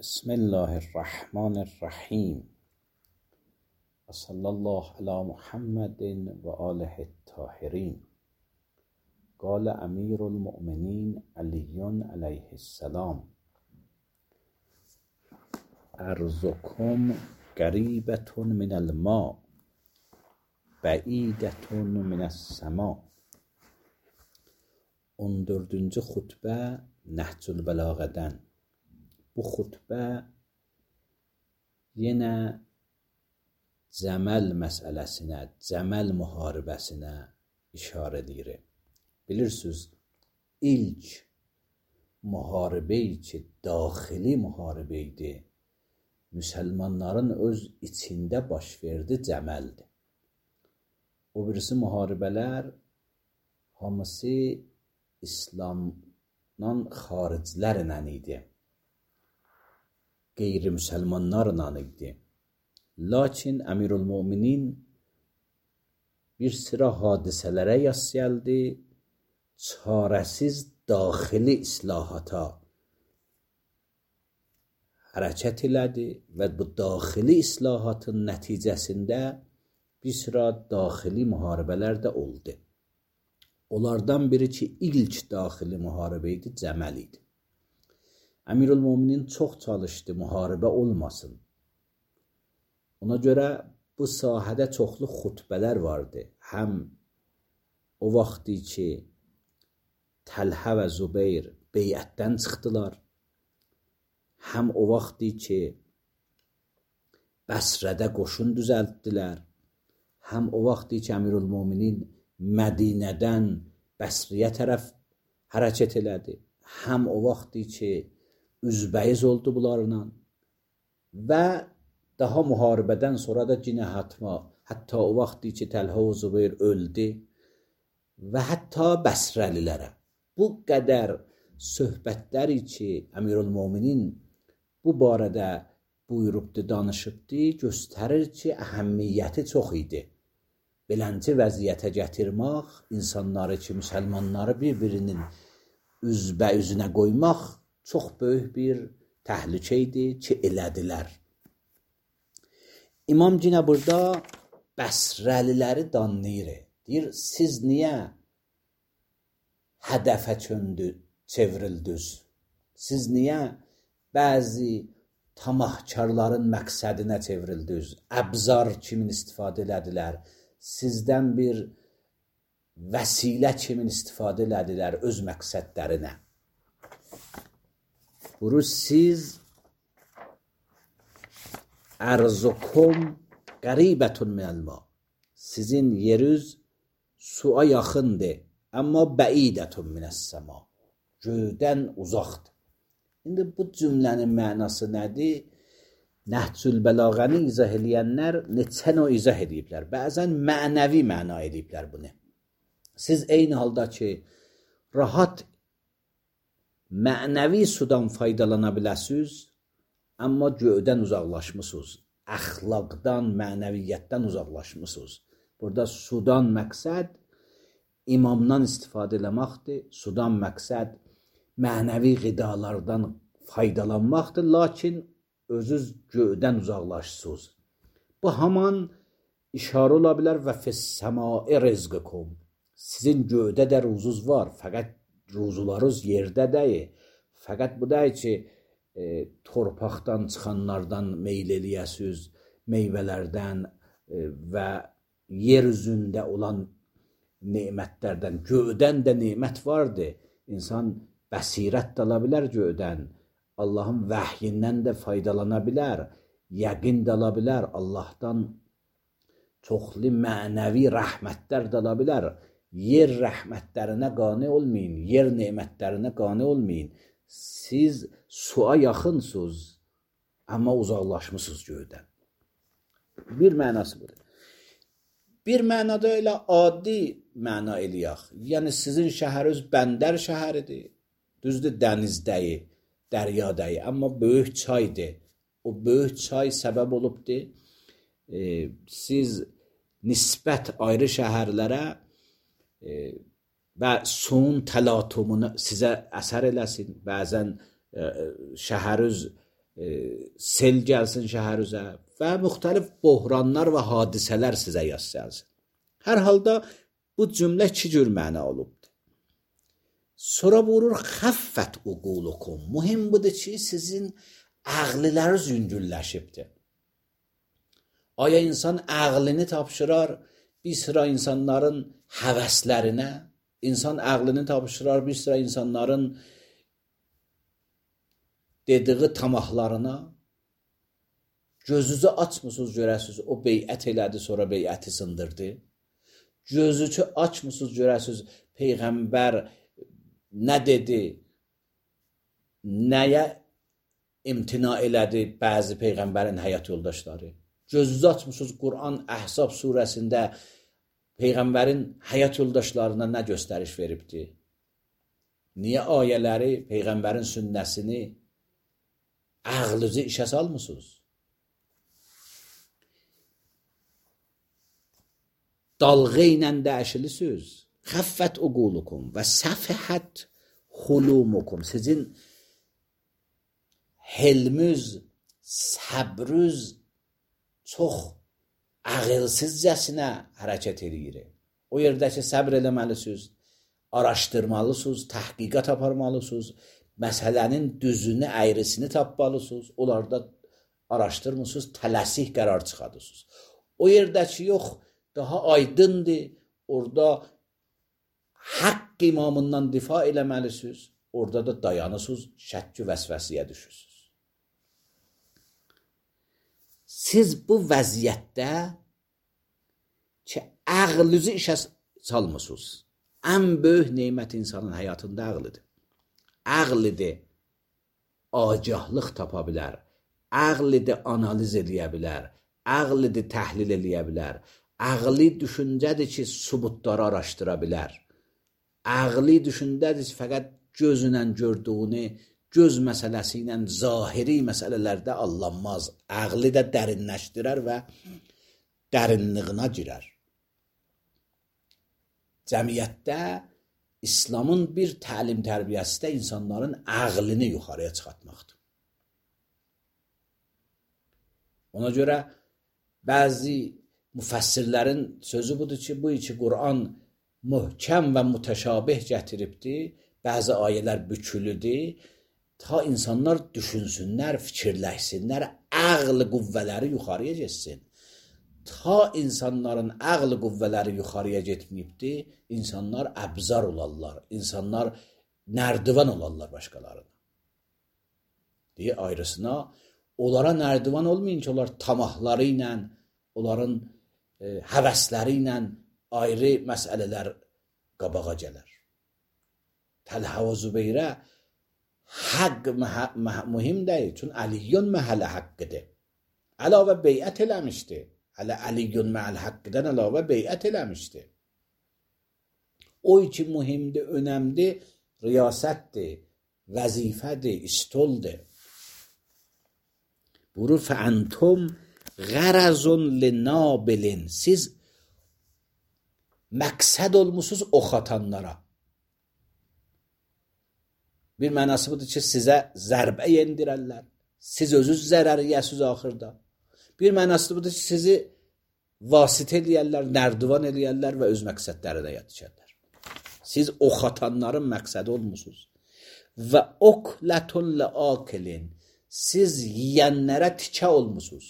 بسم الله الرحمن الرحیم و صلی الله علی محمد و آله الطاهرین. قال امیر المؤمنین علی علیه السلام: ارضکم قریبة من الماء بعیدة من السماء. 14-cü xutbə Nəhcül Bəlağədən. Bu xutbə yenə Cəməl məsələsinə, Cəməl müharibəsinə işarə edir. Bilirsiniz, ilk müharibə ki, daxili müharibə idi, müsəlmanların öz içində baş verdi, Cəməldir. O birisi müharibələr hamısı İslamdan xariclərlə idi, qeyri-müsəlmanlarla idi. Lakin Əmirülmüminin bir sıra hadisələrə yas gəldi, çarəsiz daxili islahata hərəkət elədi və bu daxili islahatın nəticəsində bir sıra daxili müharibələr də oldu. Onlardan biri ki, ilk daxili müharibə idi, Cəməl idi. Əmirülmüminin çox çalışdı, müharibə olmasın. Ona görə bu sahədə çoxlu xutbələr vardı. Həm o vaxtı ki, Təlhə və Zübeyir beyətdən çıxdılar, həm o vaxtı ki, Bəsrədə qoşun düzəltdilər, həm o vaxtı ki, Əmirülmüminin Mədinədən Bəsriyə tərəf hərəkət elədi, həm o vaxtı ki, üzbəyiz oldu bunlarla və daha müharibədən sonra da yenə hətta o vaxtı ki, Təlhə və Zübeyir öldü və hətta Bəsrəlilərə. Bu qədər söhbətləri ki, Əmirülmüminin bu barədə buyurubdu, danışıbdı, göstərir ki, əhəmmiyyəti çox idi. Beləncə vəziyyətə gətirmək, insanları ki, müsəlmanları bir-birinin üzbə-üzünə qoymaq çox böyük bir təhlükə idi ki, elədilər. İmam yenə burada Bəsrəliləri danlayır. Deyir, siz niyə hədəfə çevrildiniz? Siz niyə bəzi tamahkarların məqsədinə çevrildiniz? Əbzar kimin istifadə elədilər? Sizdən bir vəsilə kimin istifadə elədilər öz məqsədlərinə? Buru siz ərzukum qəribətun minəlma. Sizin yeriniz suya yaxındır, amma bəidətun minəs-səma. Göydən uzaqdır. İndi bu cümlənin mənası nədir? Nəhcül Bəlağəni izah eləyənlər neçə növ izah ediblər. Bəzən mənəvi məna ediblər bunu. Siz eyni halda ki, rahat mənəvi sudan faydalana biləsiniz, amma göydən uzaqlaşmısınız. Əxlaqdan, mənəviyyətdən uzaqlaşmısınız. Burada sudan məqsəd imamdan istifadə eləməkdir. Sudan məqsəd mənəvi qidalardan faydalanmaqdır. Lakin özünüz göydən uzaqlaşsınız. Bu haman işarə ola bilər və fəs-səmai rizqukum. Sizin göydə də ruzunuz var, fəqət ruzularınız yerdə deyil. Fəqət bu deyil ki, torpaqdan çıxanlardan meyl eləyəsiniz, meyvələrdən və yer üzündə olan nemətlərdən. Göydən də nemət vardır. İnsan bəsirət də ala bilər göydən. Allahın vəhyindən də faydalana bilər, yəqin də ala bilər, Allahdan çoxlu mənəvi rəhmətlər də ala bilər. Yer rəhmətlərinə qane olmayın, yer nemətlərinə qane olmayın. Siz suya yaxınsınız, amma uzaqlaşmısınız göydən. Bir mənası budur. Bir mənada elə adi məna eləyək. Yəni sizin şəhəriniz bəndər şəhəridir, düzdür, dənizdəyi, dəryadayı, amma böyük çaydır. O böyük çay səbəb olubdur. Siz nisbət ayrı şəhərlərə və suyun təlatumunu sizə əsər eləsin. Bəzən şəhəriniz sel gəlsin şəhərinizə və müxtəlif böhranlar və hadisələr sizə yas gəlsin. Hər halda bu cümlə iki cür məna olubdur. Sonra buyurur xəffət uqulukum. Mühim budur ki, sizin ağlılarınız yüngülləşibdir. Aya insan ağlını tapşırar bir sıra insanların həvəslərinə, insan ağlını tapşırar bir sıra insanların dediği tamahlarına. Gözünüzü açmısınız görəsiniz, o beyət elədi, sonra beyəti sındırdı. Gözünüzü açmısınız görəsiniz, Peyğəmbər nə dedi, nəyə imtina elədi bəzi Peyğəmbərin həyat yoldaşları. Gözünüzü açmısınız, Quran Əhzab surəsində Peyğəmbərin həyat yoldaşlarına nə göstəriş veribdi? Niyə ayələri, Peyğəmbərin sünnəsini ağlınızı işə salmısınız? Dalğa ilə dəyişilisiniz. Xəffət uqulukum və səfəhət xulumukum. Sizin helmüz, səbrüz çox ağılsızcasına hərəkət edir. O yerdə ki, səbr eləməlisiniz, araşdırmalısınız, təhqiqat aparmalısınız, məsələnin düzünü, əyrisini tapmalısınız, onlarda araşdırmısınız, tələsik qərar çıxadırsınız. O yerdə ki, yox, daha aydındır, orada haqq imamından difa eləməlisiniz, orada da dayanırsınız, şəkki vəsvəsiyə düşürsünüz. Siz bu vəziyyətdə ki, ağlınızı işə salmısınız. Ən böyük neymət insanın həyatında ağlıdır. Ağlıdır, agahlıq tapa bilər, ağlıdır, analiz eləyə bilər, ağlıdır, təhlil eləyə bilər, ağlı düşüncədir ki, subutları araşdıra bilər, ağlı düşüncədir ki, fəqət gözünlə gördüyünü, göz məsələsi ilə zahiri məsələlərdə allanmaz, ağlı da dərinləşdirər və dərinliyinə girər. Cəmiyyətdə İslamın bir təlim tərbiyəsi də insanların ağlını yuxarıya çıxartmaqdır. Ona görə bəzi müfəssirlərin sözü budur ki, bu iki Quran möhkəm və mütəşabih gətiribdir, bəzi ayələr bükülüdür, ta insanlar düşünsünlər, fikirləşsinlər, ağlı qüvvələri yuxarıya getsin. Ta insanların ağlı qüvvələri yuxarıya getməyibdir, insanlar əbzar olarlar, insanlar nərdivan olarlar başqalarına. Deyə ayrısına, onlara nərdivan olmayın ki, onlar tamahları ilə, onların həvəsləri ilə ayrı məsələlər qabağa gələr. Təlhə və Zübeyrə haqq mühim deyil, çünki Əliyyun məhələ haqqıdır. Əlavə beyət eləmişdir. Hələ Əliyyun məhəl haqqıdan əlavə beyət eləmişdir. O ki mühimdir, önəmdir, riyasətdir, vəzifədir, istoldur. Buyurur, fəəntum ғərəzun linabilin. Siz məqsəd olmusunuz ox atanlara. Bir mənası budur ki, sizə zərbə yendirərlər. Siz özünüz zərər yəsiniz axırda. Bir mənası budur ki, sizi vasitə eləyərlər, nərdivan eləyərlər və öz məqsədlərinə yetişərlər. Siz ox atanların məqsədi olmusunuz. Və oklətun ləakilin. Siz yiyənlərə tikə olmusunuz.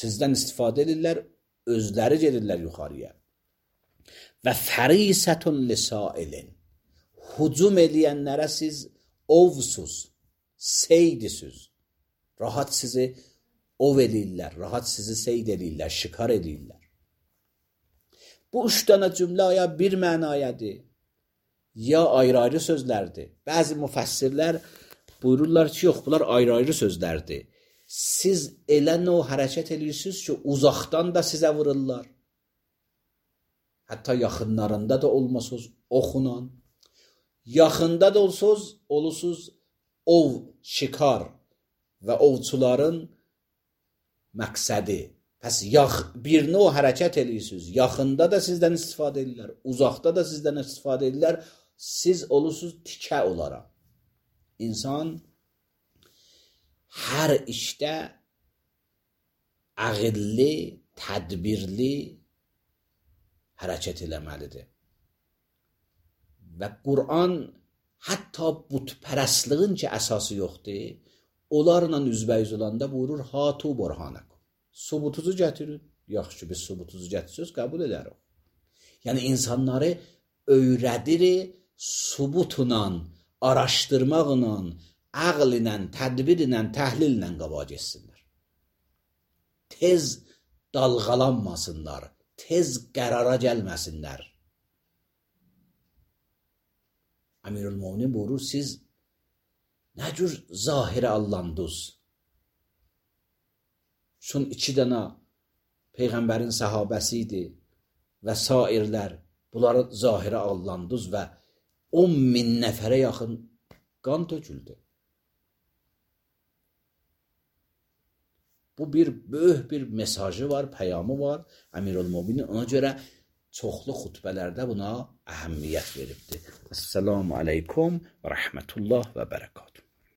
Sizdən istifadə edirlər, özləri gedirlər yuxarıya. Və fərisətun lisailin. Hücum eləyənlərə siz ovsuz, seydisiniz. Rahat sizi ov eləyirlər, rahat sizi seyd eləyirlər, şikar eləyirlər. Bu üç dənə cümlə ya bir mənayadır, ya ayrı-ayrı sözlərdir. Bəzi müfəssirlər buyururlar ki, yox, bunlar ayrı-ayrı sözlərdir. Siz elə o hərəkət edirsiniz ki, uzaqdan da sizə vururlar. Hətta yaxınlarında da olmasınız oxla. Yaxında da olursunuz ov, şikar və ovçuların məqsədi. Pəs birini o hərəkət edirsiniz. Yaxında da sizdən istifadə edirlər, uzaqda da sizdən istifadə edirlər. Siz olursunuz tikə olaraq. İnsan hər işdə ağıllı, tədbirli hərəkət eləməlidir. Və Qur'an hətta butpərəstliyin ki əsası yoxdur, onlarla üzbəyiz olanda buyurur, hatu burhanakum. Subutuzu gətirin. Yaxşı, biz subutuzu gətirsiniz, qəbul edərik. Yəni insanları öyrədir, subutla, araşdırmaqla, ağl ilə, tədbir ilə, təhlil ilə qabağa getsinlər. Tez dalğalanmasınlar, tez qərara gəlməsinlər. Əmirülmöminin buyurur, siz nə cür zahirə allandınız? Çün 2 dənə Peyğəmbərin səhabəsi idi və sairlər, bunları zahirə allandınız və 10.000 nəfərə yaxın qan töküldü. Bu böyük bir mesajı var, peyamı var Əmirülmöminin. Ona görə çoxlu xutbələrdə buna əhəmiyyət veribdir. Esselamu aleykum və rəhmətullah və bərəkatuhu.